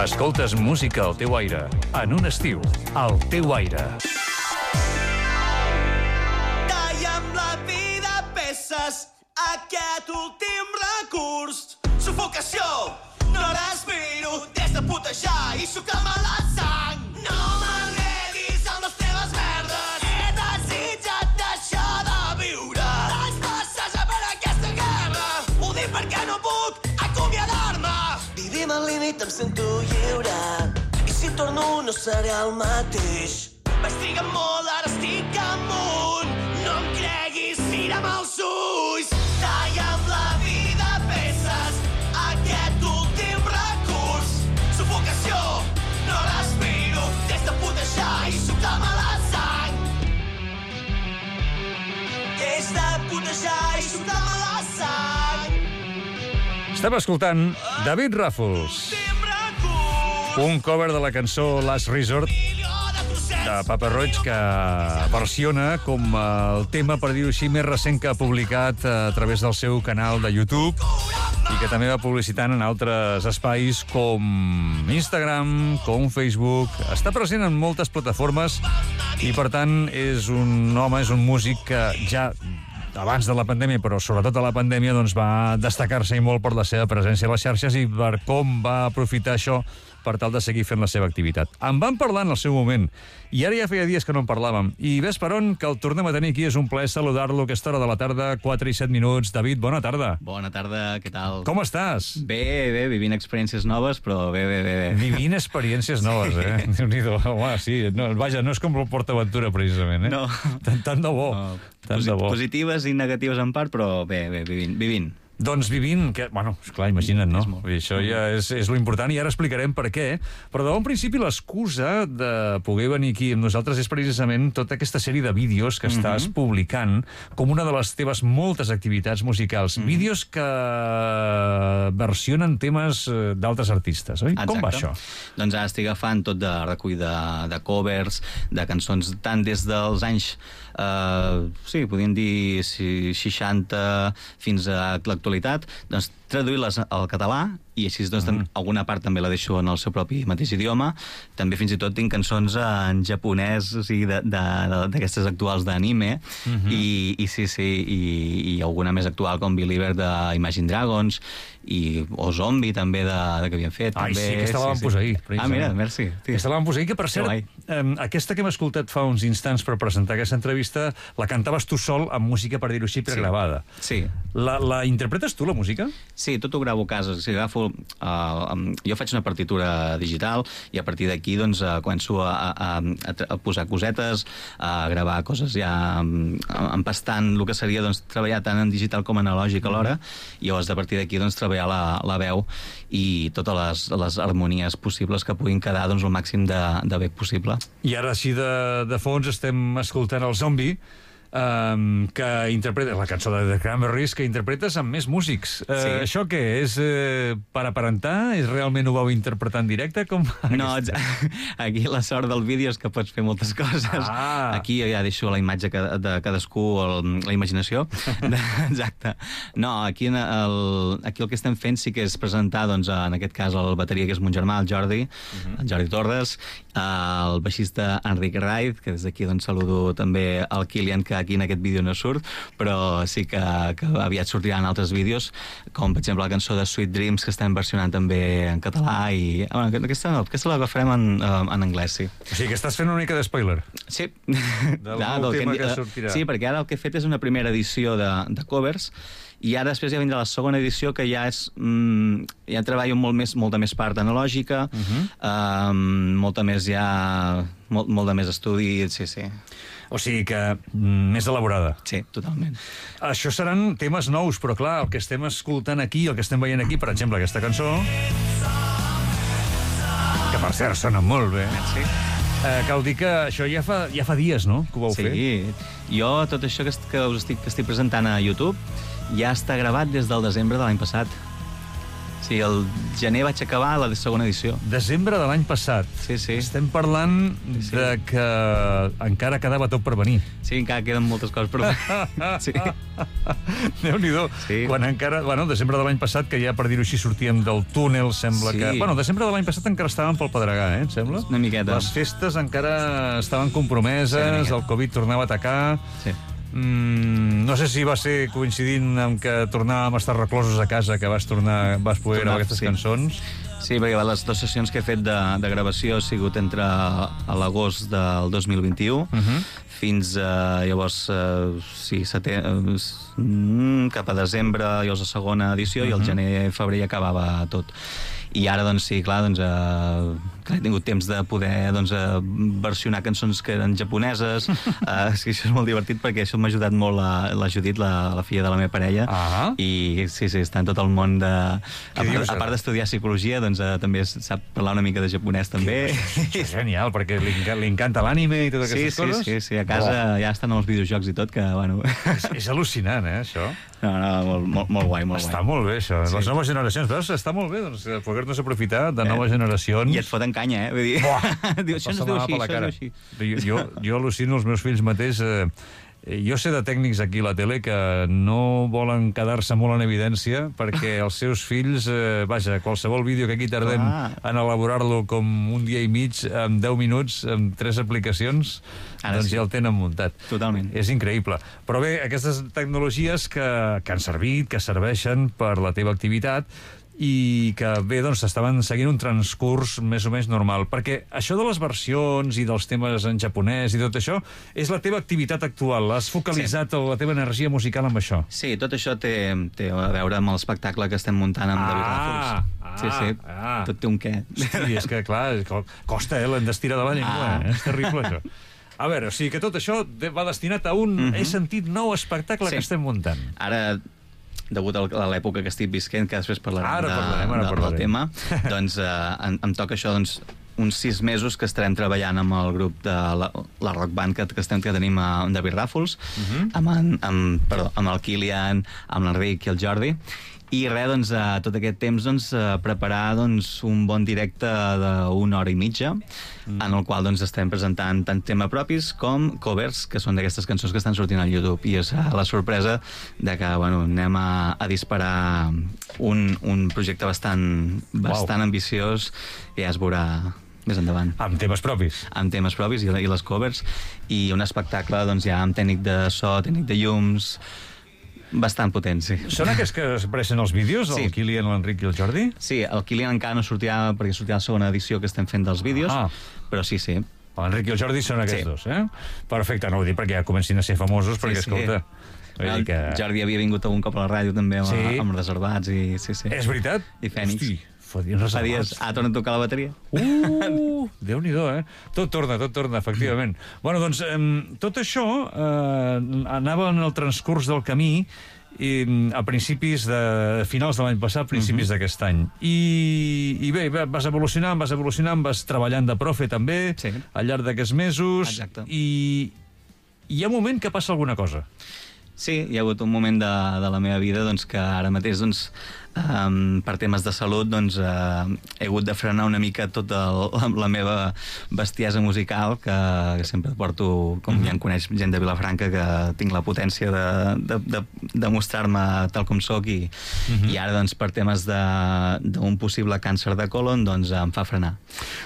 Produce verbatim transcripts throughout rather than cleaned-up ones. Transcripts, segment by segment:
Escoltes música al teu aire, en un estiu, al teu aire. Talla'm la vida a peces, aquest últim recurs. Sufocació, no respiro, des de putejar i sucar-me la sang. No m'enredis amb les teves merdes, he desitjat deixar de viure. Vaig passejar per aquesta guerra, ho dic perquè no puc acomiadar-me. Vivim al límit, em sento lliure, i si torno no seré el mateix. Vaig trigar molt, ara estic amunt, no em creguis, mira'm als ulls. Talla'm la vida a peces, aquest últim recurs. Sufocació, no respiro, des de putejar i sucar-me la sang. Des de putejar i sucar-me la sang. Estem escoltant David Ràfols, un cover de la cançó Last Resort de Papa Roig, que versiona com el tema, per dir-ho així, més recent que ha publicat a través del seu canal de YouTube i que també va publicitant en altres espais com Instagram, com Facebook. Està present en moltes plataformes i, per tant, és un home, és un músic que ja abans de la pandèmia, però sobretot a la pandèmia, doncs va destacar-se i molt per la seva presència a les xarxes i per com va aprofitar això per tal de seguir fent la seva activitat. En vam parlar en el seu moment, i ara ja feia dies que no en parlàvem. I ves per on, que el tornem a tenir aquí. És un plaer saludar-lo a aquesta hora de la tarda, quatre i set minuts. David, bona tarda. Bona tarda, què tal? Com estàs? Bé, bé, vivint experiències noves, però bé, bé, bé. bé. Vivint experiències noves, eh? Sí. Déu-n'hi-do. Home, sí. No, vaja, no és com el PortAventura, precisament, eh? No. Tant, tant de bo. No. Tant de bo. Positives i negatives en part, però bé, bé, vivint. vivint. Doncs vivint, que, bueno, esclar, imagina't, no? Vull dir, això ja és, és lo important i ara explicarem per què. Però de bon principi l'excusa de poder venir aquí amb nosaltres és precisament tota aquesta sèrie de vídeos que mm-hmm. estàs publicant com una de les teves moltes activitats musicals. Mm-hmm. Vídeos que versionen temes d'altres artistes, oi? Exacte. Com va això? Doncs ara estic agafant tot de recull de, de covers, de cançons tant des dels anys Uh, sí, podríem dir seixanta fins a l'actualitat, doncs traduir-les al català i així doncs, mm. alguna part també la deixo en el seu propi mateix idioma. També fins i tot tinc cançons en japonès, o sigui, d'aquestes actuals d'anime, mm-hmm. I, i sí, sí, i, i alguna més actual com Believer d'Imagine Dragons i, o Zombie també de, de que havien fet. Ai, també, sí, aquesta la vam sí, posar sí. ahir. Ah, mira, merci. Sí. Aquesta la vam posar ahir, que per cert, eh, aquesta que hem escoltat fa uns instants per presentar aquesta entrevista, la cantaves tu sol amb música, per dir-ho així, pregravada. Sí. La, la interpretes tu, la música? Sí, tot ho gravo a casa. O sigui, agafo, uh, um, jo faig una partitura digital i a partir d'aquí doncs, uh, començo a, a, a, a posar cosetes, a gravar coses ja um, empastant el que seria doncs, treballar tant en digital com analògic alhora, i llavors a partir d'aquí doncs, treballar la, la veu i totes les, les harmonies possibles que puguin quedar doncs, el màxim de, de bé possible. I ara així de, de fons estem escoltant el Zombie, Um, que interpreta la cançó de The Cranberries, que interpretes amb més músics. Uh, sí. Això què? És uh, per aparentar? És realment ho vau interpretar en directe? Com no, aquí la sort del vídeo és que pots fer moltes coses. Ah. Aquí ja deixo la imatge de cadascú, el, la imaginació. Exacte. No, aquí, el, aquí el que estem fent sí que és presentar, doncs, en aquest cas, el bateria, que és mon germà, el Jordi, uh-huh. el Jordi Torres, el baixista Enric Raid, que des d'aquí doncs, saludo també el Kilian, que aquí en aquest vídeo no surt, però sí que, que aviat sortiran altres vídeos, com per exemple la cançó de Sweet Dreams, que estem versionant també en català, i bueno, aquesta no, aquesta l'agafarem en, en anglès, sí. O sigui que estàs fent una mica de spoiler. Sí. Del ja, nou tema que, que sortirà. Sí, perquè ara el que he fet és una primera edició de, de covers, i ara després ja vindrà la segona edició, que ja és mm, ja treballo molt més, molta més part analògica, uh-huh. um, molta més ja molt, molt de més estudi, sí, sí. O sigui que mm, més elaborada. Sí, totalment. Això seran temes nous, però clar, el que estem escoltant aquí, el que estem veient aquí, per exemple, aquesta cançó, que per cert sona molt bé. Merci. Eh, cal dir que això ja fa, ja fa dies, no?, que ho vau sí. fer. Sí, jo tot això que, que us estic, que estic presentant a YouTube ja està gravat des del desembre de l'any passat. Sí, el gener vaig acabar la segona edició. Desembre de l'any passat. Sí, sí. Estem parlant Sí. de que encara quedava tot per venir. Sí, encara queden moltes coses per sí. Déu-n'hi-do. Sí. Quan encara... Bueno, desembre de l'any passat, que ja, per dir-ho així, sortíem del túnel, sembla Sí. que... Bueno, desembre de l'any passat encara estàvem pel Pedregà, eh, em sembla? Una miqueta. Les festes encara estaven compromeses, Sí, una miqueta. el Covid tornava a atacar... Sí. Mm, no sé si va ser coincidint amb que tornàvem a estar reclosos a casa que vas tornar, vas poder gravar aquestes sí. cançons. Sí, perquè les dues sessions que he fet de, de gravació ha sigut entre a l'agost del dos mil vint-i-u Mhm. fins a, llavors, eh, sí, seté, eh, cap a desembre, llavors la segona edició, i el gener, febrer ja acabava tot. I ara, doncs, sí, clar, doncs, eh, que he tingut temps de poder doncs, eh, versionar cançons que eren japoneses. eh, sí, això és molt divertit perquè això m'ha ajudat molt la, la Judit, la, la filla de la meva parella, Ah. i sí, sí, està en tot el món de... A, Què dius, a ara? part d'estudiar psicologia, doncs eh, també sap parlar una mica de japonès, també. Això és genial, perquè li, enca- li encanta l'ànime i totes Sí, aquestes sí, coses. sí, sí, a casa ja estan els videojocs i tot, que, bueno... És, és al·lucinant, eh, això. No, no, molt, molt, molt guai, molt Està guai. molt bé, això. Sí. Les noves generacions, veus? Està molt bé, doncs, eh, poder-nos aprofitar de noves generacions. I et foten canya, eh? Vull dir... Diu, això no es diu així, això es diu així. Jo, jo, jo al·lucino els meus fills mateix... Eh, jo sé de tècnics aquí a la tele que no volen quedar-se molt en evidència perquè els seus fills, eh, vaja, qualsevol vídeo que aquí tardem Clar. en elaborar-lo com un dia i mig, en deu minuts, amb tres aplicacions, Ara doncs sí. ja el tenen muntat. Totalment. És increïble. Però bé, aquestes tecnologies que, que han servit, que serveixen per la teva activitat, i que, bé, doncs, estaven seguint un transcurs més o menys normal. Perquè això de les versions i dels temes en japonès i tot això és la teva activitat actual. Has focalitzat sí. la teva energia musical amb això. Sí, tot això té, té a veure amb l'espectacle que estem muntant amb Ah, David Ràfols. ah, sí, sí, ah. tot té un què. Hosti, és que, clar, co- costa, eh, l'endestira de la llengua. Ah. Eh? És terrible, això. A veure, o sigui que tot això de- va destinat a un, Mhm. he sentit, nou espectacle Sí. que estem muntant. Ara, degut a l'època que estic visquent, que després parlarem, Ara de, parlarem, ara de, parlarem. del tema, doncs eh, em, em toca això, doncs, uns sis mesos que estarem treballant amb el grup de la, la rock band que, que, estem, que tenim a David Ràfols, Mhm. amb, en, amb, perdó, amb el Kilian, amb l'Enric i el Jordi, i res, doncs, a tot aquest temps, doncs, a preparar doncs, un bon directe d'una hora i mitja, mm. en el qual doncs, estem presentant tant tema propis com covers, que són d'aquestes cançons que estan sortint al YouTube. I és la sorpresa de que bueno, anem a, a disparar un, un projecte bastant, bastant ambiciós, i ja es veurà més endavant. Amb temes propis. Amb temes propis i, i les covers, i un espectacle doncs, ja amb tècnic de so, tècnic de llums, bastant potent, sí. Són aquests que apareixen als vídeos, Sí. el Kilian, l'Enric i el Jordi? Sí, el Kilian encara no sortirà perquè sortirà la segona edició que estem fent dels vídeos, Ah. però sí, sí. L'Enric i el Jordi són aquests Sí. dos, eh? Perfecte, no ho dic perquè ja comencin a ser famosos, perquè, sí. escolta... vull dir El que... Jordi havia vingut algun cop a la ràdio també amb, Sí. amb reservats i sí, sí. És veritat? I Fènix. Hosti, fa dies Fa dies reservats. ha tornat a tocar la bateria. Uh, Déu-n'hi-do, eh? Tot torna, tot torna, efectivament. Bueno, doncs, eh, tot això eh, anava en el transcurs del camí i, a principis de... finals de l'any passat, principis uh -huh. d'aquest any. I, I bé, vas evolucionant, vas evolucionant, vas treballant de profe també, Sí. al llarg d'aquests mesos, Exacte. i hi ha un moment que passa alguna cosa. Sí, hi ha hagut un moment de, de la meva vida doncs, que ara mateix, doncs, um, per temes de salut, doncs, uh, he hagut de frenar una mica tota la, la meva bestiesa musical, que, que sempre porto, com mm -hmm. ja em coneix gent de Vilafranca, que tinc la potència de, de, de, de mostrar-me tal com sóc, i, mm -hmm. i ara, doncs, per temes d'un possible càncer de colon, doncs, em fa frenar.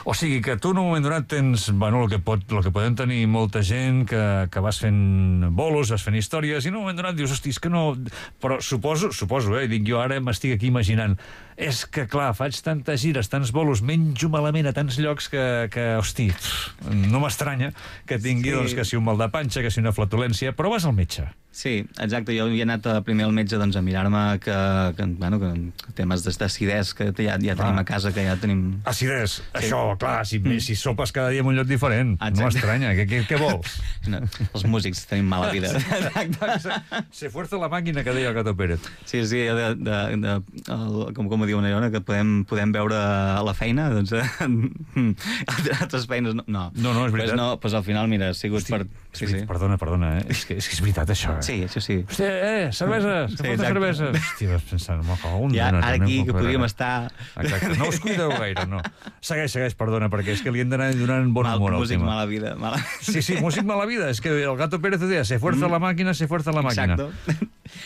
O sigui que tu en un moment donat tens, bueno, el que, pot, el que podem tenir molta gent, que, que vas fent bolos, vas fent històries, i en un moment donat dius, hosti, és que no... Però suposo, suposo, eh, dic jo ara m'estic aquí imaginant, és que clar, faig tantes gires, tants bolos, menjo malament a tants llocs que, que hosti, pff, no m'estranya que tingui, Sí. doncs, que si un mal de panxa, que si una flatulència, però vas al metge. Sí, exacte. Jo havia anat a, primer al metge doncs, a mirar-me que, que, bueno, que temes d'acidès que ja, ja tenim Ah. a casa, que ja tenim... Acidès, Sí. això, clar, si, mm. si sopes cada dia en un lloc diferent, Exacte. no m'estranya, què, què, què vols? No, els músics tenim mala vida. Exacte. Se fuerza la màquina, que deia el Gato Pérez. Sí, sí, de, de, de, el, com, com m'ho diu una Iona, que podem, podem veure a la feina, doncs altres feines no. No, no, no és veritat. Pues no, pues al final, mira, ha sigut Hosti, per... Sí, sí. Perdona, perdona, eh? És que, és que és veritat, això, eh? Sí, això sí. Hòstia, eh, cerveses, que Sí, falta exacte. cerveses. Hòstia, vas pensant, m'ho cago en Ja, una, ara també aquí em que puc podríem veure. estar... Exacte, no us cuideu gaire, no. Segueix, segueix, perdona, perquè és que li hem d'anar donant bon Mal, humor al músic, tema. mala vida. Mala... Sí, sí, músic mala vida. És que el Gato Pérez deia, se fuerza la màquina, se fuerza la màquina. Exacto.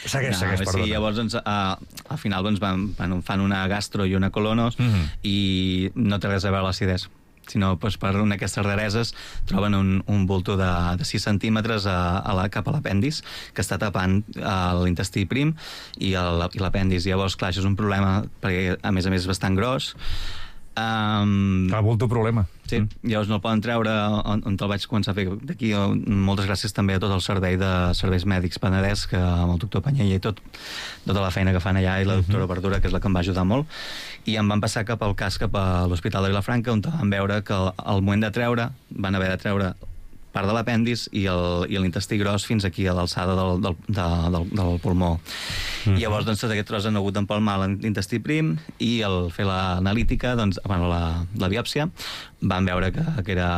Segueix, no, segueix, perdona. Sí, llavors, doncs, uh, al final doncs, van, van, fan una gastro i una colonos Mhm. i no té res a veure l'acidesa, sinó doncs, per una d'aquestes rareses troben un, un bulto de, de sis centímetres a, a la, cap a l'apèndix que està tapant uh, l'intestí prim i el- i l'apèndix. Llavors, clar, això és un problema perquè, a més a més, és bastant gros. Um, Clar, bulto problema. Sí, llavors no el poden treure on, on te'l vaig començar a fer d'aquí. Moltes gràcies també a tot el servei de serveis mèdics Penedès, que amb el doctor Panyella i tot, tota la feina que fan allà, i la doctora Verdura, que és la que em va ajudar molt, i em van passar cap al cas, cap a l'Hospital de Vilafranca, on van veure que al, al moment de treure, van haver de treure part de l'apèndix i el- i l'intestí gros fins aquí a l'alçada del, del, de, del, del pulmó. Mm. I llavors, doncs, tot aquest tros han hagut d'empalmar l'intestí prim i al fer l'analítica, doncs, bueno, la, la biòpsia, van veure que, que era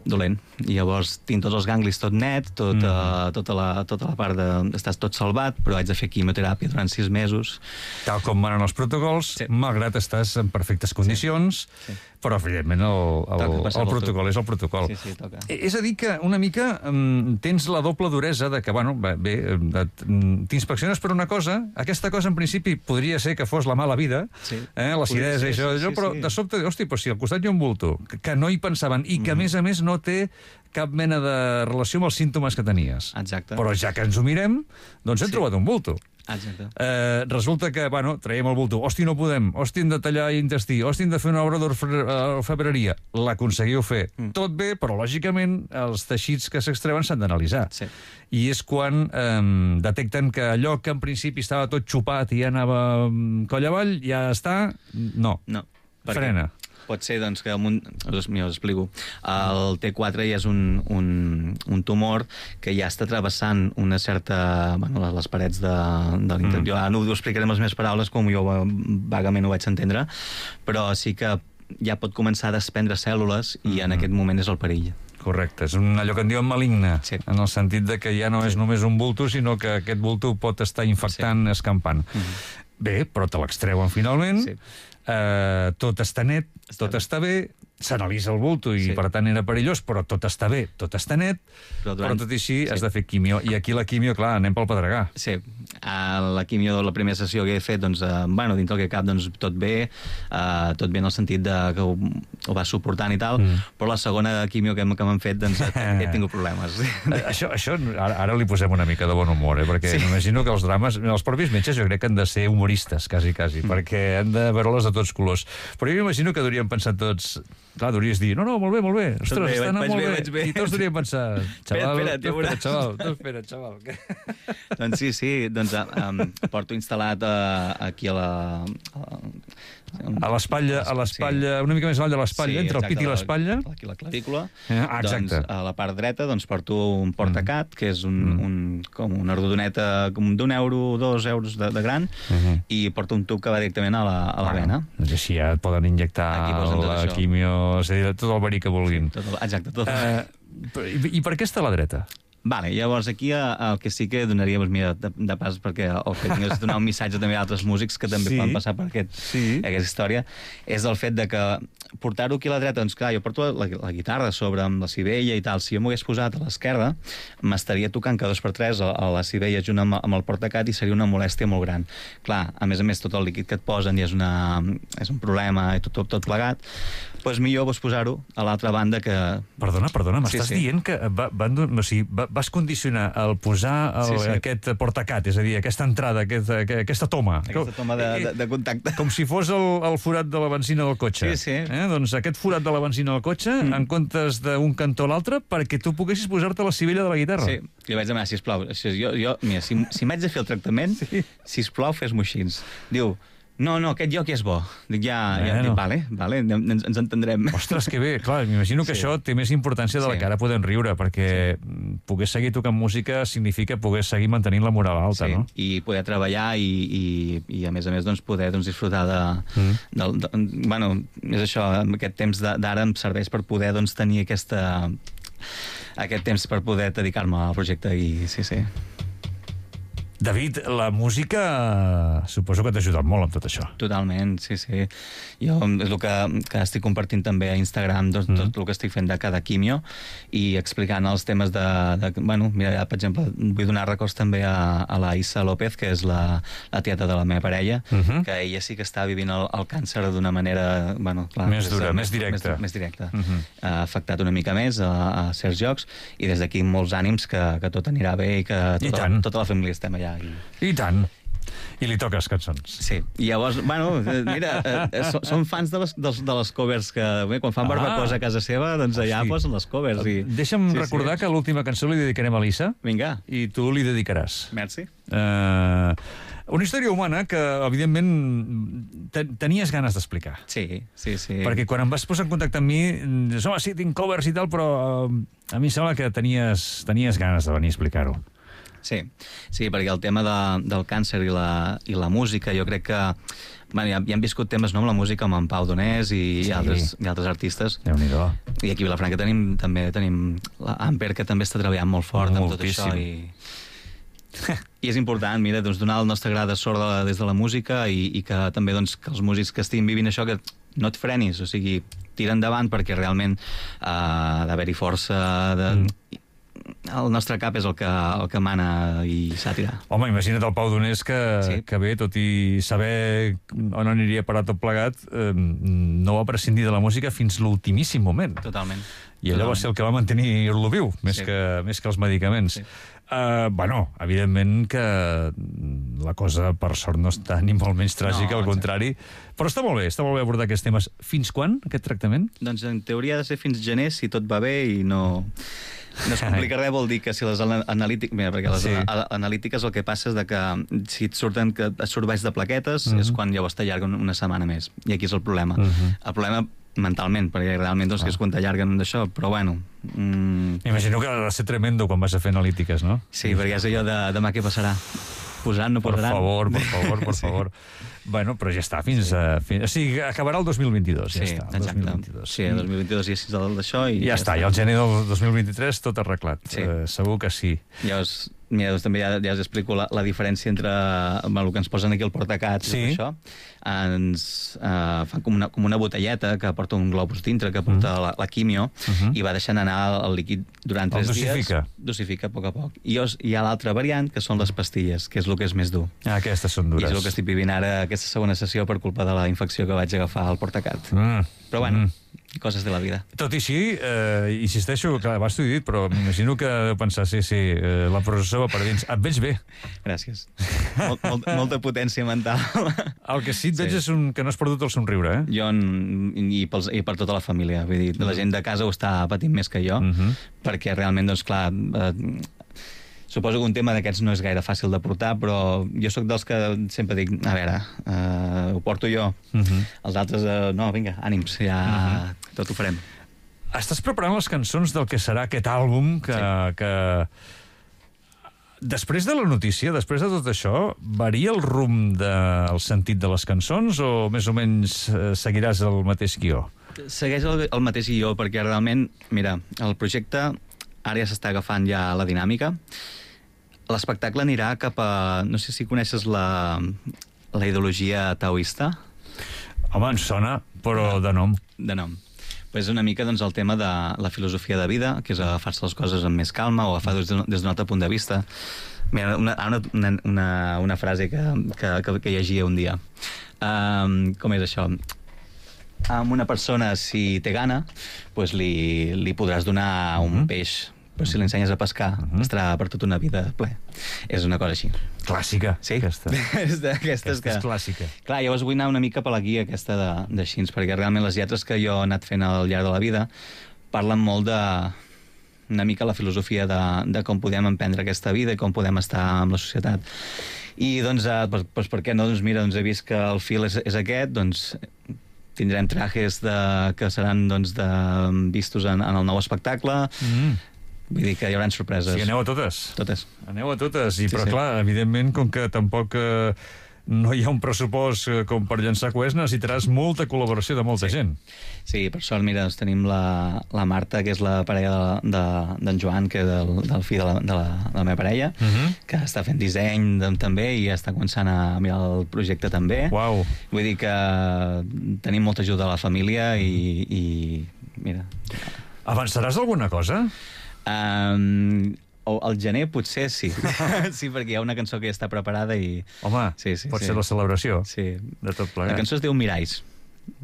dolent. I llavors tinc tots els ganglis tot net, tot, mm. uh, tota, la, tota la part de... Estàs tot salvat, però haig de fer quimioteràpia durant sis mesos. Tal com manen els protocols, Sí. malgrat estàs en perfectes condicions, Sí. però, evidentment, el, el, Toca passar el pel protocol és el protocol. Sí, sí, toca. Eh, És a dir que una mica um, tens la doble duresa de que, bueno, bé, bé, et- mm, t'inspecciones per una cosa, aquesta cosa en principi podria ser que fos la mala vida, Sí. eh, l'acidesa i Podria ser, això, sí, això sí, però sí. de sobte, hosti, però si al costat hi ha un bulto, que, que no hi pensaven, i que, a més a més, no té cap mena de relació amb els símptomes que tenies. Exacte. Però ja que ens ho mirem, doncs hem Sí. trobat un bulto. Exacte. Eh, resulta que, bueno, traiem el bulto. Hosti, no podem. Hosti, hem de tallar intestí. Hosti, hem de fer una obra d'orfebreria. L'aconseguiu fer. Mm. Tot bé, però, lògicament, els teixits que s'extreuen s'han d'analitzar. Sí. I és quan eh, detecten que allò que en principi estava tot xupat i ja anava mm, coll avall, ja està... No. No. perquè Frena. Pot ser, doncs, que un, us, mira, us explico. El T quatre ja és un, un, un tumor que ja està travessant una certa... Bueno, les, les parets de, de l'interior. Mm. Jo ara no ho explicaré amb les meves paraules, com jo vagament ho vaig entendre, però sí que ja pot començar a desprendre cèl·lules i en aquest moment és el perill. Correcte, és un, allò que en diuen maligne, Sí. en el sentit de que ja no és només un bulto, sinó que aquest bulto pot estar infectant, sí. escampant. Mhm. Bé, però te l'extreuen finalment, Sí. eh, tot està net, Està tot bé. està bé, s'analitza el bulto i Sí. per tant era perillós, però tot està bé, tot està net, Però però, durant- tot i així sí. has de fer quimio. I aquí la quimio, clar, anem pel pedregar. Sí, a la quimio de la primera sessió que he fet, doncs, eh, bueno, dintre el que cap, doncs, tot bé, eh, tot bé en el sentit de que ho, ho va suportant i tal, mm. però la segona quimio que, hem- que m'han fet, doncs, he, he tingut problemes. Eh, Això, això ara, ara li posem una mica de bon humor, eh? Perquè Sí. m'imagino que els drames, els propis metges jo crec que han de ser humoristes, quasi, quasi, mm. perquè han de veure-les de tots colors. Però jo m'imagino que hauríem pensat tots... Clar, hauries dir, no, no, molt bé, molt bé, ostres, bé, està anant vaig molt bé, bé. vaig bé. I tots hauríem pensat, xaval, espera't, ja tu espera, veuràs. xaval, tu espera, xaval. Que... Doncs sí, sí, doncs um, porto instal·lat uh, aquí a la... A, A l'espatlla, a l'espatlla, una mica més avall de l'espatlla, entre el pit i l'espatlla. Aquí la clavícula. Ah, exacte. Doncs a la part dreta doncs, porto un portacat, que és un, Mm. un, com una rodoneta com d'un euro, dos euros de, de gran, Mhm. i porto un tub que va directament a la, a la vena. Doncs així ja et poden injectar Aquí posen tot la això. quimio, és a dir, tot el verí que vulguin. Tot, el- exacte, tot. Eh, i, I per què està a la dreta? Vale, llavors aquí eh, el que sí que donaria, doncs, mira, de, de pas, perquè el que tinc és donar un missatge també a altres músics que també Sí. poden passar per aquest, Sí. aquesta història, és el fet de que portar-ho aquí a la dreta, doncs clar, jo porto la, la guitarra sobre amb la civella i tal, si jo m'ho hagués posat a l'esquerda, m'estaria tocant cada dos per tres a, a la civella junt amb, amb el portacat i seria una molèstia molt gran. Clar, a més a més, tot el líquid que et posen ja és, una, és un problema i tot, tot, tot plegat, doncs millor vos posar-ho a l'altra banda que... Perdona, perdona, m'estàs Sí, sí. dient que va, van, do- o sigui, va, vas condicionar el posar el, Sí, sí. aquest portacat, és a dir, aquesta entrada, aquest, aqu- aquesta toma. Aquesta toma de, de, de contacte. Com si fos el, el forat de la benzina del cotxe. Sí, sí. Eh? Doncs aquest forat de la benzina del cotxe, mm. en comptes d'un cantó a l'altre, perquè tu poguessis posar-te la civella de la guitarra. Sí, li vaig demanar, sisplau, això, jo, jo, mira, si, si m'haig de fer el tractament, sí. sisplau, fes-m'ho així. Diu, No, no, aquest joc és bo. Dic, ja, ja Bueno. dic, vale, vale, ens, ens entendrem. Ostres, que bé. Clar, m'imagino que Sí. això té més importància de la Sí. que ara podem riure, perquè poder seguir tocant música significa poder seguir mantenint la moral alta, Sí, no? i poder treballar i, i, i a més a més doncs, poder doncs, disfrutar de, mm. del, de... Bueno, és això, aquest temps de- d'ara em serveix per poder doncs, tenir aquesta, aquest temps per poder dedicar-me al projecte i sí, sí. David, la música eh, suposo que t'ha ajudat molt amb tot això. Totalment, sí, sí. Jo és el que, que estic compartint també a Instagram, doncs, mm. tot el que estic fent de cada quimio i explicant els temes de... de bueno, mira, per exemple, vull donar records també a, a la Issa López, que és la, la tieta de la meva parella, Uh -huh. que ella sí que està vivint el, el càncer d'una manera... Bueno, clar, Més és, dura, eh, més directa. Més, més directa. Uh -huh. Ha afectat una mica més a, a certs jocs i des d'aquí molts ànims que, que tot anirà bé i que I tota, tant. tota la família estem allà. I... I tant. I li toques cançons. Sí, i llavors, bueno, eh, mira, eh, eh, so- som fans de les, de, les- de les covers que, bé, quan fan Ah. barbacosa a casa seva, doncs allà Hosti. posen les covers. I... Deixa'm Sí, recordar sí. que l'última cançó li dedicarem a l'Issa Vinga, i tu li dedicaràs. merci. Uh, una història humana que, evidentment, te tenies ganes d'explicar. Sí, sí, sí. Perquè quan em vas posar en contacte amb mi, dius, home, sí, tinc covers i tal, però uh, a mi em sembla que tenies, tenies ganes de venir a explicar-ho. Sí, sí, perquè el tema de, del càncer i la, i la música, jo crec que bueno, ja, ja hem viscut temes no, amb la música, amb en Pau Donés i, Sí. i, altres, i altres artistes. Déu-n'hi-do. I aquí a Vilafranca tenim, també tenim l'Amper, que també està treballant molt fort amb tot Moltíssim. això. I... I és important, mira, doncs, donar el nostre gra de sort de la, des de la música i, i que també doncs, que els músics que estiguin vivint això, que no et frenis, o sigui, tira endavant perquè realment uh, ha d'haver-hi força de... Mm. El nostre cap és el que, el que mana i s'ha tirat. Home, imagina't el Pau Donés que, Sí. que bé, tot i saber on aniria a parar tot plegat, eh, no va prescindir de la música fins l'ultimíssim moment. Totalment. I allò va ser el que va mantenir-lo viu, més, Sí. que, més que els medicaments. Sí. Uh, bueno, evidentment que la cosa, per sort, no està ni molt menys tràgica, No, al contrari. Però està molt bé, està molt bé abordar aquests temes. Fins quan, aquest tractament? Doncs en teoria ha de ser fins gener, si tot va bé i no... No es complica res, vol dir que si les ana- analítiques... Mira, perquè les Sí. a- analítiques el que passa és de que si et surten que et surt baix de plaquetes Mhm. és quan llavors t'allarguen una setmana més. I aquí és el problema. Mhm. El problema mentalment, perquè realment doncs, Ah. que és quan t'allarguen d'això, però bueno... Mm, M'imagino que ha de ser tremendo quan vas a fer analítiques, no? sí, perquè és allò de demà què passarà. Posaran, no Per posaran? favor, per favor, per Sí. favor. Bueno, però ja està, fins a... Fins... O sigui, acabarà el dos mil vint-i-dos, ja Sí, està. el exacte. dos mil vint-i-dos. Sí, el dos mil vint-i-dos ja és d'això i I ja està, i al gener del dos mil vint-i-tres tot arreglat. Sí. Eh, segur que sí. Llavors, mira, doncs també ja, ja us explico la, la diferència entre bueno, el que ens posen aquí al portacat Sí. i tot això. Ens uh, fan com una, com una botelleta que porta un globus dintre, que porta Mm. la, la quimio, Mhm. i va deixant anar el líquid durant El tres dies. dosifica. Dosifica a poc a poc. I llavors hi ha l'altra variant, que són les pastilles, que és el que és més dur. Ah, aquestes són I dures. és el que estic vivint ara, aquesta segona sessió, per culpa de la infecció que vaig agafar al portacat. Mm. Però bueno, Mm. coses de la vida. Tot i així, eh, insisteixo, que abans t'ho he dit, però m'imagino que deu pensar, sí, sí, eh, la processó va per dins. Et veig bé. Gràcies. Mol, molt, molta potència mental. El que sí et veig Sí. és un, que no has perdut el somriure, eh? Jo en- i, pels, i per tota la família. Vull dir, la gent de casa ho està patint més que jo, Mhm. perquè realment, doncs clar, eh, suposo que un tema d'aquests no és gaire fàcil de portar, però jo sóc dels que sempre dic, a veure, eh, ho porto jo. Mhm. Els altres, eh, no, vinga, ànims, ja tot ho farem. Estàs preparant les cançons del que serà aquest àlbum que... Sí. que... Després de la notícia, després de tot això, varia el rumb del sentit de les cançons o més o menys eh, seguiràs el mateix guió? Segueix el, el mateix guió, perquè realment, mira, el projecte ara ja s'està agafant ja la dinàmica. L'espectacle anirà cap a... No sé si coneixes la, la ideologia taoista, Home, ens sona, però de nom. de nom. Pues una mica doncs, el tema de la filosofia de vida, que és agafar-se les coses amb més calma o agafar des d'un des d'un altre punt de vista. Mira, una, una, una, una frase que, que, que, que llegia un dia. Um, com és això? Amb una persona, si té gana, pues li, li podràs donar un Mhm. peix, però si l'ensenyes a pescar, Mhm. estarà per tota una vida ple. És una cosa així. Clàssica, Sí? aquesta. és d'aquestes Aquesta que... és clàssica. Clar, llavors vull anar una mica per la guia aquesta de, de xins, perquè realment les lletres que jo he anat fent al llarg de la vida parlen molt de una mica la filosofia de, de com podem emprendre aquesta vida i com podem estar amb la societat. I doncs, eh, doncs, doncs per què no? Doncs mira, doncs he vist que el fil és, és aquest, doncs tindrem trajes de, que seran doncs, de, vistos en, en el nou espectacle. Mm. Vull dir que hi haurà sorpreses. Sí, aneu a totes. Totes. Aneu a totes, i, sí, però sí. clar, evidentment, com que tampoc eh, no hi ha un pressupost eh, com per llançar coets, necessitaràs molta col·laboració de molta sí. gent. Sí, per sort, mira, doncs tenim la, la Marta, que és la parella d'en de, de, Joan, que és del, del fill de la, de, la, de la meva parella, uh -huh. que està fent disseny de, també i està començant a mirar el projecte també. Uau. Vull dir que tenim molta ajuda a la família i, i mira... Avançaràs alguna cosa? Um, al gener potser sí. Sí, perquè hi ha una cançó que ja està preparada i... Home, sí, sí, pot sí. ser la celebració sí. de tot plegat. La cançó es diu Miralls.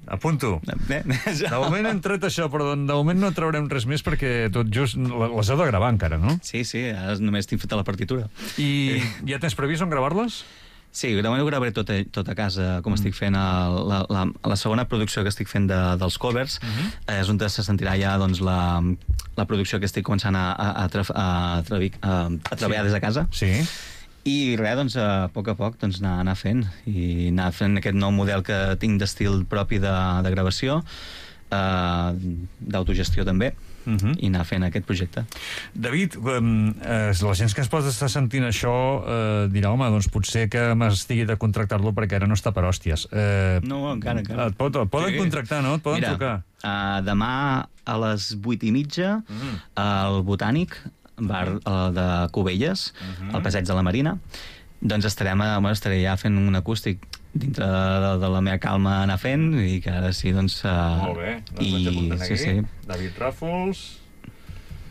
Apunto. Eh? De moment hem tret això, però de moment no traurem res més perquè tot just les heu de gravar encara, no? Sí, sí, ara només tinc feta la partitura. I ja tens previst on gravar-les? Sí, de moment ho gravaré tot a, tot a casa, com mm. estic fent el, la, la, la segona producció que estic fent de, dels covers, mm -hmm. és on se sentirà ja doncs, la, la producció que estic començant a, a, a, tra, a, a, a treballar sí. des de casa. Sí. I res, doncs, a poc a poc doncs, anar, anar fent, i anar fent aquest nou model que tinc d'estil propi de, de gravació, eh, d'autogestió també, Uh-huh. i anar fent aquest projecte. David, eh, la gent que es pot estar sentint això eh, dirà, home, doncs potser que m'estigui de contractar-lo perquè ara no està per hòsties. Eh, no, encara, encara. Et, pot, et poden sí. contractar, no? Et poden Mira, trucar. Uh, demà a les vuit i mitja uh-huh. al Botànic, bar uh, de Cubelles, uh-huh. al Passeig de la Marina, doncs estarem a, bueno, estaré ja fent un acústic dintre de, de la meva calma anar fent, i que ara sí, doncs... Uh, Molt bé, doncs i, vaig apuntant aquí. Sí, sí. David Ràfols...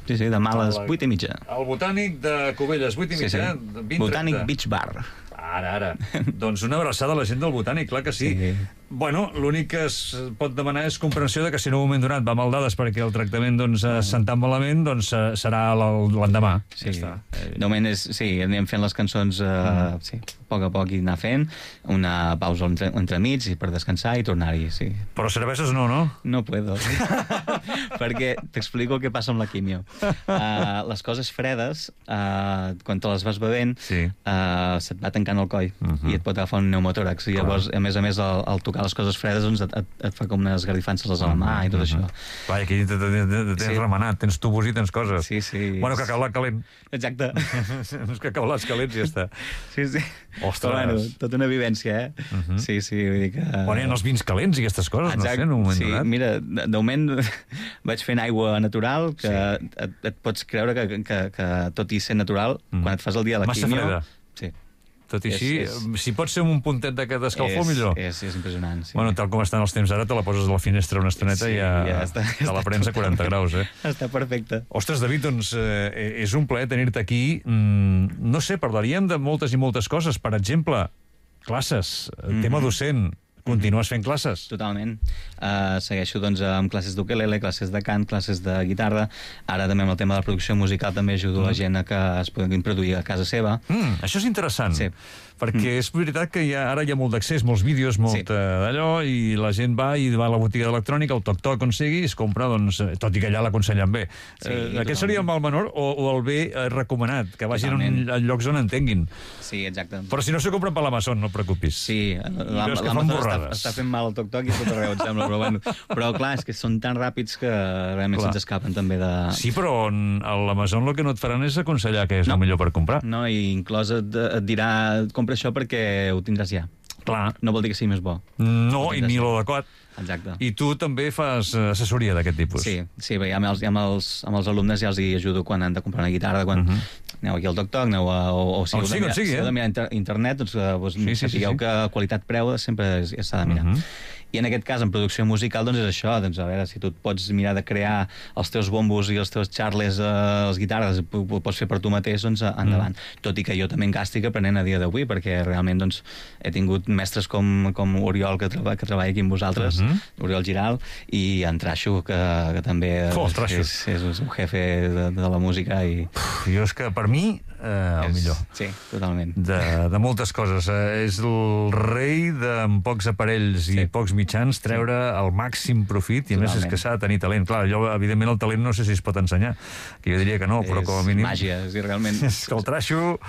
Sí, sí, demà a les vuit i mitja. El Botànic de Cubelles, vuit i mitja. Sí, sí. Botànic Beach Bar. Ara, ara. Doncs una abraçada a la gent del Botànic, clar que sí. sí. Bueno, l'únic que es pot demanar és comprensió de que si en un moment donat va mal dades perquè el tractament doncs, es sent tan malament, doncs serà l'endemà. Sí, ja de moment és, sí, anem fent les cançons uh, mm. sí, a poc a poc i anar fent, una pausa entre, entremig per descansar i tornar-hi, sí. Però cerveses no, no? No puedo. Perquè t'explico què passa amb la quimio. Uh, les coses fredes, uh, quan te les vas bevent, sí. uh, se't va tancant el coll uh -huh. i et pot agafar un pneumotòrax. I llavors, a més a més, al, al tocar les coses fredes, doncs et, et, et fa com unes esgarrifances a la mà i tot uh -huh. això. Vai, aquí tens sí. remenat, tens tubos i tens coses. Sí, sí. Bueno, cacaulat calent. Exacte. Uns cacaulats calents i ja està. Sí, sí. Ostres. Però, bueno, tota una vivència, eh? Uh -huh. Sí, sí, vull dir que... Bueno, hi ha els vins calents i aquestes coses, exacte. No sé, en un moment sí, donat. Mira, de, de moment vaig fent aigua natural, que sí. et, et pots creure que, que, que tot i ser natural, mm. quan et fas el dia de la Massa quimio... Freda. Sí. Tot i així, és, és... si pot ser un puntet d'aquest escalfor, és, millor. És, és impressionant, sí. Bueno, tal com estan els temps ara, te la poses a la finestra una estoneta sí, i ja, ja està, te la prens a quaranta graus, eh? Està perfecte. Ostres, David, doncs eh, és un plaer tenir-te aquí. Mm, no sé, parlaríem de moltes i moltes coses. Per exemple, classes, mm-hmm. tema docent. Continues fent classes? Totalment. Uh, segueixo doncs, amb classes d'ukelele, classes de cant, classes de guitarra. Ara també amb el tema de la producció musical també ajudo mm. la gent a que es puguin produir a casa seva. Mm, això és interessant. Sí. Perquè mm. és veritat que hi ha, ara hi ha molt d'accés, molts vídeos, molt sí. d'allò, i la gent va i va a la botiga d'electrònica, el toc-toc on sigui, i es compra, doncs, tot i que allà l'aconsellen bé. Sí, eh, aquest seria el mal menor o, o el bé eh, recomanat, que vagin en, en llocs on entenguin. Sí, exacte. Però si no s'ho compren per l'Amazon, no et preocupis. Sí, l'Amazon està, està fent mal el toc-toc i tot arreu, em sembla, però bueno. Però clar, és que són tan ràpids que realment se'ns escapen també de... Sí, però a l'Amazon el que no et faran és aconsellar què és no. el millor per comprar. No, i inclòs et, et dirà compra això perquè ho tindràs ja. Clar. No vol dir que sigui més bo. No, i ni l'adequat. Exacte. I tu també fas assessoria d'aquest tipus. Sí, sí, bé, amb, els, amb, els, amb els alumnes ja els hi ajudo quan han de comprar una guitarra, quan uh -huh. aneu aquí al toc-toc, aneu a... O, o si heu de mirar, sigui, si eh? heu de mirar inter internet, doncs, doncs sí, sí, sapigueu sí, sí. que qualitat-preu sempre s'ha de mirar. Uh -huh. I en aquest cas, en producció musical, doncs és això, doncs a veure, si tu et pots mirar de crear els teus bombos i els teus charles, eh, les guitarres, ho, ho pots fer per tu mateix, doncs endavant. Mm. Tot i que jo també engastic aprenent a dia d'avui, perquè realment doncs, he tingut mestres com, com Oriol, que, treba, que treballa aquí amb vosaltres, mm -hmm. Oriol Giral, i en Traixo, que, que també oh, és, és un jefe de, de la música. I... Uf, jo és que, per mi, eh, el és, millor. Sí, totalment. De, de moltes coses. Eh, és el rei de amb pocs aparells sí. i pocs mitjans treure el màxim profit, i a més és que s'ha de tenir talent. Clar, jo, evidentment, el talent no sé si es pot ensenyar, que jo diria que no, però com a mínim... És màgia, és realment... És que el Traixo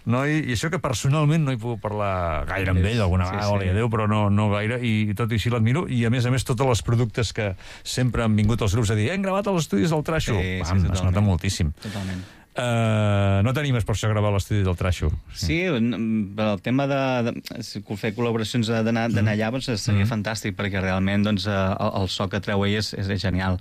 noi, i això que personalment no hi puc parlar gaire amb ell, alguna vegada, sí, sí. Adéu, però no, no gaire, i tot i així l'admiro, i a més a més tots els productes que sempre han vingut als grups a dir, hem gravat als estudis del Trasho, sí, Pam, sí, es nota moltíssim. Totalment. Uh, no t'animes per això a gravar a l'estudi del Trasho? Sí, el tema de, de fer col·laboracions d'anar mm. allà doncs, seria mm. fantàstic, perquè realment doncs, el, el so que treu ell és, és genial.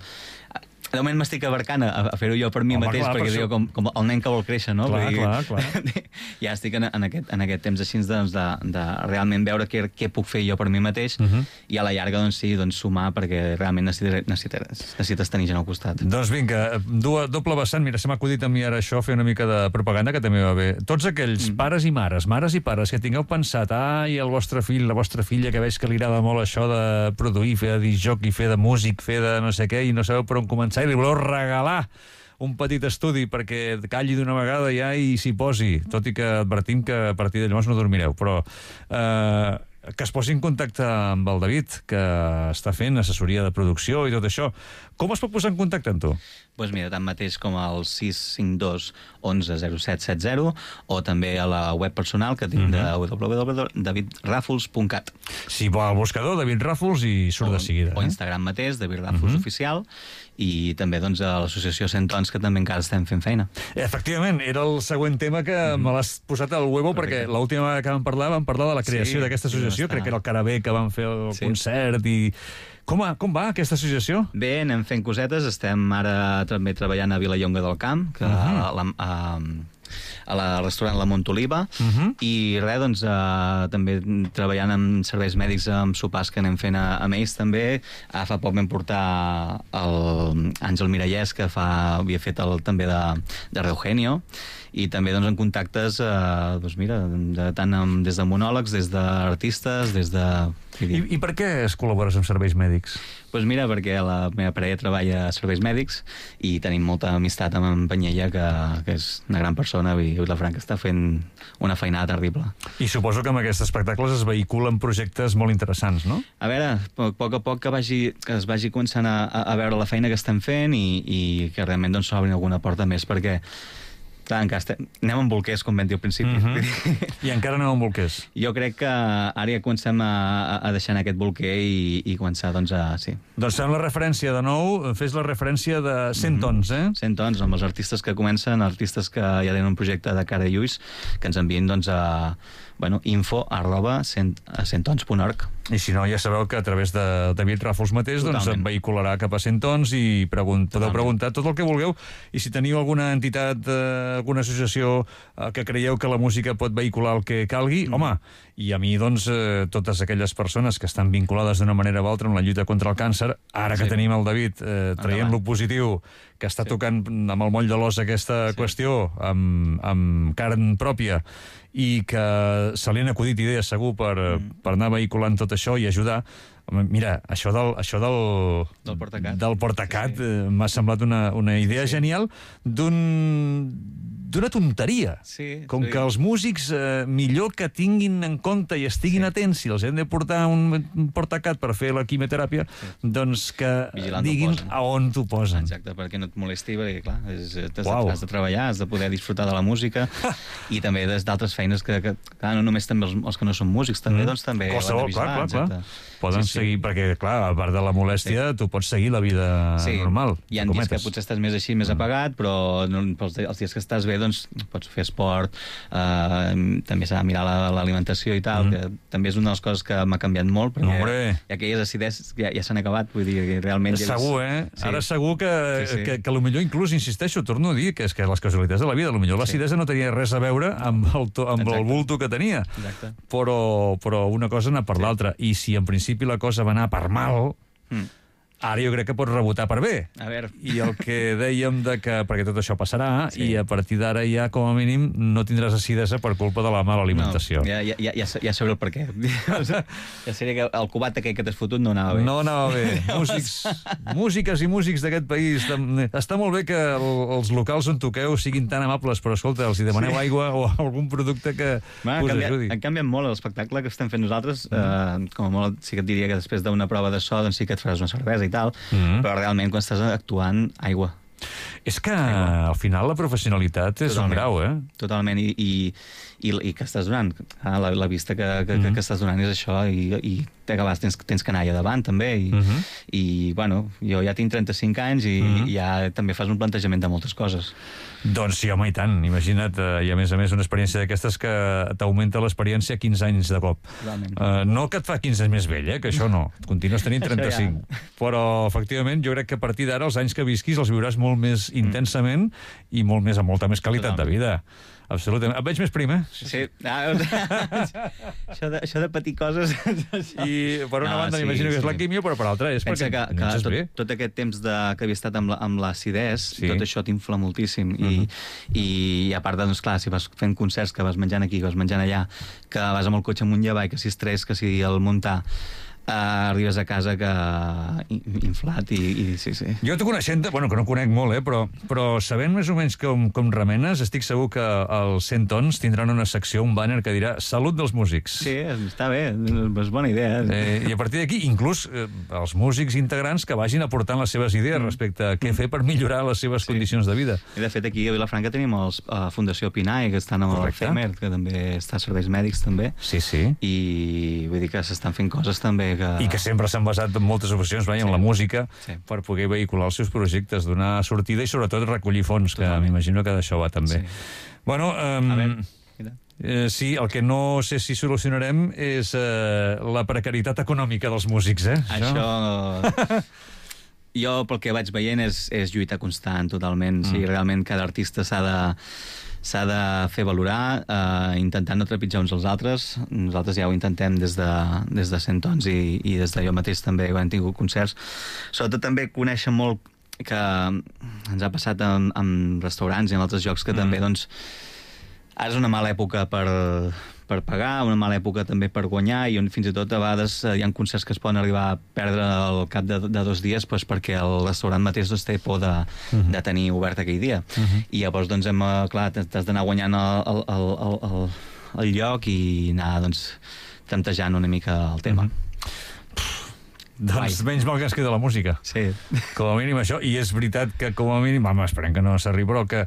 De moment m'estic abarcant a, a fer-ho jo per mi Home, mateix, clar, perquè per diu, com, com el nen que vol créixer, no? Clar, Vull clar, clar. Ja estic en, en, aquest, en aquest temps així doncs, de, de realment veure què, què puc fer jo per mi mateix uh -huh. i a la llarga doncs, sí, doncs, sumar, perquè realment necessites, necessites, necessites tenir gent al costat. Doncs vinga, du, doble vessant, mira, se m'ha acudit a mi ara això, fer una mica de propaganda, que també va bé. Tots aquells mm. pares i mares, mares i pares, que tingueu pensat, ai, el vostre fill, la vostra filla, que veig que li agrada molt això de produir, fer de discjockey, fer de músic, fer de no sé què, i no sabeu per on començar, i li voleu regalar un petit estudi perquè calli d'una vegada ja i s'hi posi, tot i que advertim que a partir de llavors no dormireu, però eh, que es posi en contacte amb el David, que està fent assessoria de producció i tot això. Com es pot posar en contacte amb tu? Doncs pues mira, tant mateix com al sis cinc dos onze zero set set zero o també a la web personal que tinc uh-huh. de w w w punt david ràfols punt cat. Si va al buscador, David Ràfols, i surt o, de seguida. O eh? Instagram mateix, David Ràfols uh-huh. oficial, i també doncs, a l'associació Cent Tons, que també encara estem fent feina. Efectivament, era el següent tema que mm. me l'has posat al huevo, Correcte. Perquè l'última vegada que vam parlar vam parlar de la creació sí, d'aquesta associació, sí, crec que era el Carabé que van fer el sí. concert i... Com va, com va aquesta associació? Bé, anem fent cosetes, estem ara també treballant a Vilallonga del Camp, que uh-huh. a, la, a, a la restaurant La Montoliva, uh-huh. i res, doncs, uh, també treballant amb serveis mèdics, amb sopars que anem fent a, amb ells també. Uh, fa poc vam portar el Àngel Mirallès, que fa, havia fet el, també de, de Reugenio, i també doncs, en contactes eh, doncs, mira, de, tant amb, des de monòlegs, des d'artistes, des de... I, I per què es col·labores amb serveis mèdics? Doncs pues mira, perquè la meva parella treballa a serveis mèdics i tenim molta amistat amb en Panyella, que, que és una gran persona, i la Franca està fent una feinada terrible. I suposo que amb aquests espectacles es vehiculen projectes molt interessants, no? A veure, a poc a poc que, vagi, que es vagi començant a, a veure la feina que estem fent i, i que realment doncs, s'obrin alguna porta més, perquè clar, encara estem... anem amb bolquers, com vam dir al principi. Mm-hmm. I encara anem amb bolquers. Jo crec que ara ja comencem a, a deixar aquest bolquer i, i començar, doncs, a... Sí. Doncs fem la referència de nou, fes la referència de Cent Tons, eh? Cent Tons, amb els artistes que comencen, artistes que ja tenen un projecte de cara i ulls, que ens envien, doncs, a... bueno, info arroba centtons punt org. I si no, ja sabeu que a través de David Ràfols mateix doncs, et vehicularà cap a Cent Tons i pregunt, podeu preguntar tot el que vulgueu, i si teniu alguna entitat, eh, alguna associació eh, que creieu que la música pot vehicular el que calgui, mm. home, i a mi, doncs, eh, totes aquelles persones que estan vinculades d'una manera o altra en la lluita contra el càncer, ara que sí. tenim el David eh, traient lo positiu, que està sí. tocant amb el moll de l'os aquesta sí. qüestió, amb, amb carn pròpia, i que se li han acudit idees segur per, mm. per anar vehiculant tot això i ajudar. Mira, això del, això del, del Portacat, del Portacat sí. eh, m'ha semblat una, una idea sí. genial d'un d'una tonteria. Sí, Com sí. que els músics eh, millor que tinguin en compte i estiguin sí. atents si els hem de portar un, un Portacat per fer la quimioteràpia, sí. doncs que Vigilant diguin a on t'ho posen. Exacte, perquè no et molesti, perquè clar, és, has, wow. has de treballar, has de poder disfrutar de la música i també des d'altres feines que, que clar, no només també els, els que no són músics, també, mm. doncs també qualsevol, ho han de vigilar. Clar, clar, clar. Poden sí, sí. seguir, perquè clar, a part de la molèstia, sí. tu pots seguir la vida sí. normal. Hi ha dies que potser estàs més així, més apagat, però no, els, els dies que estàs bé, doncs pots fer esport, eh, també s'ha de mirar l'alimentació i tal, mm. que també és una de les coses que m'ha canviat molt, perquè Hombre. ja aquelles acideses ja, ja s'han acabat, vull dir, realment... Segur, eh? Sí. Ara segur que, sí, sí. que, que potser inclús, insisteixo, torno a dir, que és que les casualitats de la vida, potser l'acidesa sí. no tenia res a veure amb el, to, amb el bulto que tenia, Exacte. però, però una cosa anar per sí. l'altra, i si en principi la cosa va anar per mal... Mm. Ara jo crec que pots rebotar per bé. A veure. I el que dèiem de que, perquè tot això passarà, sí. i a partir d'ara ja, com a mínim, no tindràs acidesa per culpa de la mala alimentació. No, ja, ja, ja, ja sabré el per què. Ja seria que el cubat aquell que t'has fotut no anava bé. No anava bé. Músics, músiques i músics d'aquest país. Està molt bé que el, els locals on toqueu siguin tan amables, però escolta, els hi demaneu sí. aigua o algun producte que Va, us canviat, ajudi. Han canviat molt l'espectacle que estem fent nosaltres. Mm. Eh, com a molt sí que et diria que després d'una prova de so doncs sí que et faràs una cervesa i tal, mm. però realment quan estàs actuant, aigua. És que al final la professionalitat és Totalment. un grau, eh? Totalment, i, i, i, i que estàs donant. Ah, la, la vista que, que, mm. que estàs donant és això, i, i a vegades tens, tens canalla davant, també, i, mm -hmm. i bueno, jo ja tinc trenta-cinc anys i, mm -hmm. ja també fas un plantejament de moltes coses. Doncs sí, home, i tant. Imagina't, eh, i a més a més una experiència d'aquestes que t'augmenta l'experiència quinze anys de cop. Uh, no que et fa quinze anys més vell, eh, que això no. Continues tenint trenta-cinc. Ja. Però, efectivament, jo crec que a partir d'ara els anys que visquis els viuràs molt més mm. intensament i molt més, amb molta més qualitat Totalment. de vida. Absolutament. Et veig més prim, eh? Sí. Ah, això, de, això de patir coses... I per una no, banda sí, m'imagino que és sí. la químio, però per l'altra és Pensa perquè que, que tot, bé. tot aquest temps de, que havia estat amb, la, amb l'acidès, sí. tot això t'infla moltíssim. Uh -huh. I, i a part, doncs, clar, si vas fent concerts, que vas menjant aquí, que vas menjant allà, que vas amb el cotxe amunt i avall, que si estrès, que si el muntar... Uh, arribes a casa que inflat i, i sí, sí. Jo t'ho coneixent, bueno, que no conec molt, eh, però, però sabent més o menys com, com remenes, estic segur que els cent tons tindran una secció, un banner que dirà Salut dels músics. Sí, està bé, és bona idea. Eh, I a partir d'aquí, inclús eh, els músics integrants que vagin aportant les seves idees mm. respecte a què fer per millorar les seves sí. condicions de vida. I de fet aquí a Vilafranca tenim la uh, Fundació Pinai, que estan amb Correcte. el FEMER, que també està a serveis mèdics també. Sí, sí. I vull dir que s'estan fent coses també que... I que sempre s'han basat en moltes ocasions vai, sí. en la música sí. per poder vehicular els seus projectes, donar sortida i sobretot recollir fons, Totalment. que m'imagino que d'això va també. Sí. Bueno, um, a veure, eh, sí, el que no sé si solucionarem és eh, la precarietat econòmica dels músics, eh? Això... això... Jo, pel que vaig veient, és, és lluita constant, totalment. Mm. Sí, realment cada artista s'ha de s'ha de fer valorar, eh, intentant no trepitjar uns als altres. Nosaltres ja ho intentem des de, des de cent tons i, i des de jo mateix també, quan hem tingut concerts. Sobretot també conèixer molt que ens ha passat en, en restaurants i en altres llocs que mm. també, doncs, ara és una mala època per, per pagar, una mala època també per guanyar, i on fins i tot a vegades hi ha concerts que es poden arribar a perdre al cap de, de dos dies doncs, perquè el restaurant mateix doncs, té por de, uh-huh. de tenir obert aquell dia. Uh-huh. I llavors, doncs, hem, clar, t'has d'anar guanyant el, el, el, el, el lloc i anar, doncs, temptejant una mica el tema. Uh-huh. Doncs Ai. menys mal que es queda la música. Sí. Com a mínim això, i és veritat que com a mínim, home, esperem que no s'arribi, però que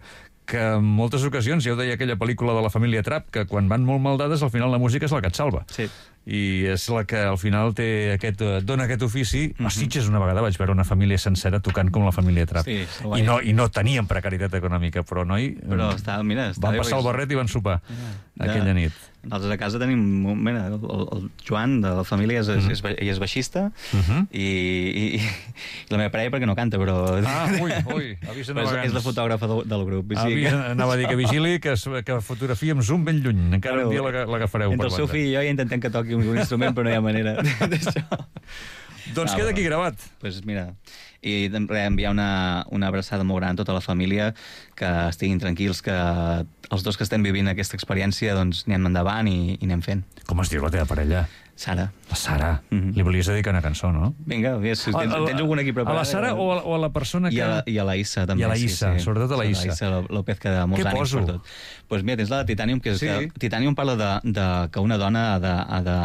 que en moltes ocasions, ja ho deia aquella pel·lícula de la família Trapp, que quan van molt mal dades, al final la música és la que et salva. Sí. I és la que al final té aquest, dona aquest ofici. Mm-hmm. A Sitges una vegada vaig veure una família sencera tocant com la família Trapp. Sí, I, no, I no tenien precarietat econòmica, però noi... Però està, mira, està van passar el barret i van sopar ja. aquella nit. Nosaltres a casa tenim... Mira, el, el Joan de la família és, mm-hmm. és, és, és baixista mm-hmm. i, i, i la meva parella perquè no canta, però... Ah, ui, ui, avisa és, és la fotògrafa del, del grup. Avisa, que... Anava a dir que vigili, que, que fotografia amb zoom ben lluny. Encara però, un dia l'agafareu. Entre el seu fill i jo ja intentem que toqui un instrument, però no hi ha manera d'això. Doncs ah, queda aquí gravat. Doncs pues mira, i enviar una, una abraçada molt gran a tota la família, que estiguin tranquils, que els dos que estem vivint aquesta experiència doncs anem endavant i, i anem fent. Com es diu la teva parella? Sara. La Sara. Mm-hmm. Li volies dedicar una cançó, no? Vinga, tens, tens, tens alguna aquí preparada? A la Sara o a, o a la persona que... I a la, i a la Issa, també. I a la Issa, sí, sí. Sobretot a la Issa. La Issa López, que de molts Què ànims poso? per tot. Doncs pues mira, tens la de Titanium, que, és sí. que Titanium parla de, de que una dona ha de, ha de...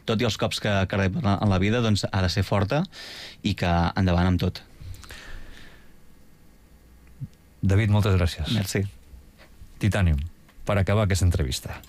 Tot i els cops que, que rep en la vida, doncs ha de ser forta i que endavant amb tot. David, moltes gràcies. Merci. Titanium, per acabar aquesta entrevista.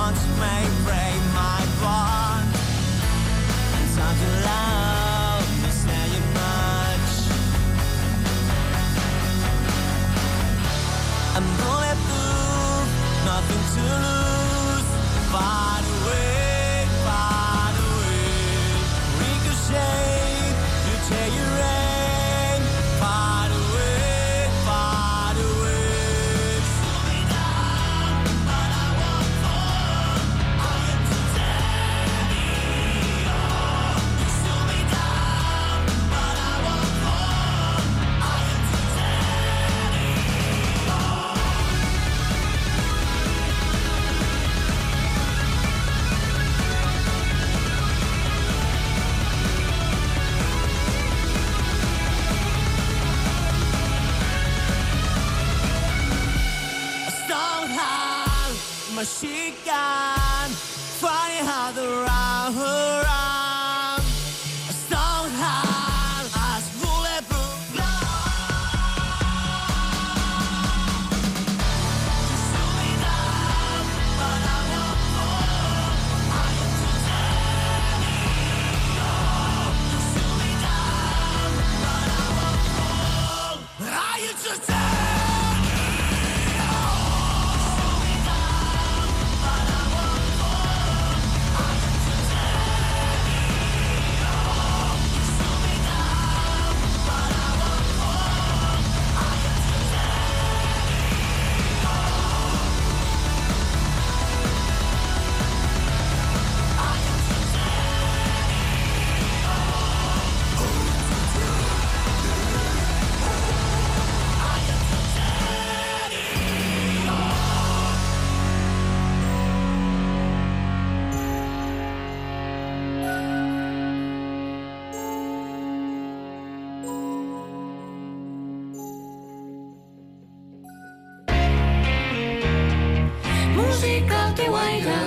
once may break my bond. And time to love me, say you much. I'm bulletproof, nothing to lose. Far away, far away. Ricochet, you take your aim. Far away, far away. Slow me down, but I won't fall. I am titanium. You slow me down, but I won't fall. I am titanium. A strong-heart machine gun, funny how the round around. A strong-heart as bulletproof glass. You slow me down, but I won't fall. I am titanium. You slow me down, but I won't fall. I am titanium. Música al teu aire.